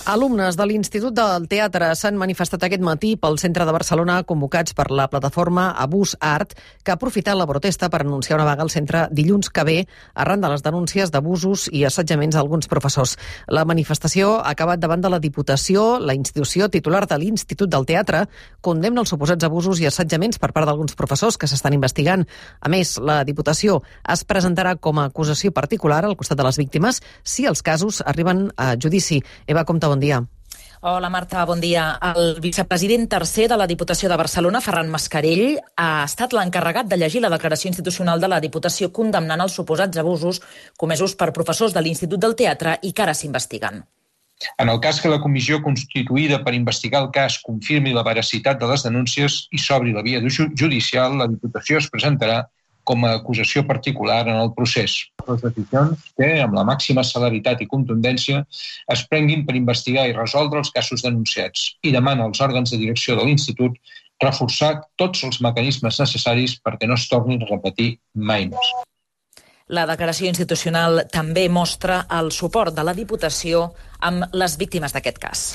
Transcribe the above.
Alumnes de l'Institut del Teatre s'han manifestat aquest matí pel centre de Barcelona convocats per la plataforma Abús Art, que ha aprofitat la protesta per anunciar una vaga al centre dilluns que ve arran de les denúncies d'abusos i assetjaments a alguns professors. La manifestació ha acabat davant de la Diputació. La institució titular de l'Institut del Teatre condemna els suposats abusos i assetjaments per part d'alguns professors que s'estan investigant. A més, la Diputació es presentarà com a acusació particular al costat de les víctimes si els casos arriben a judici. Eva Compte, bon dia. Hola Marta, bon dia. El vicepresident tercer de la Diputació de Barcelona, Ferran Mascarell, ha estat l'encarregat de llegir la declaració institucional de la Diputació condemnant els suposats abusos comesos per professors de l'Institut del Teatre i que ara s'investiguen. En el cas que la comissió constituïda per investigar el cas confirmi la veracitat de les denúncies i s'obri la via judicial, la Diputació es presentarà com a acusació particular en el procés. Les decisions que, amb la màxima celeritat i contundència, es prenguin per investigar i resoldre els casos denunciats i demana als òrgans de direcció de l'Institut reforçar tots els mecanismes necessaris perquè no es tornin a repetir mai més. La declaració institucional també mostra el suport de la Diputació amb les víctimes d'aquest cas.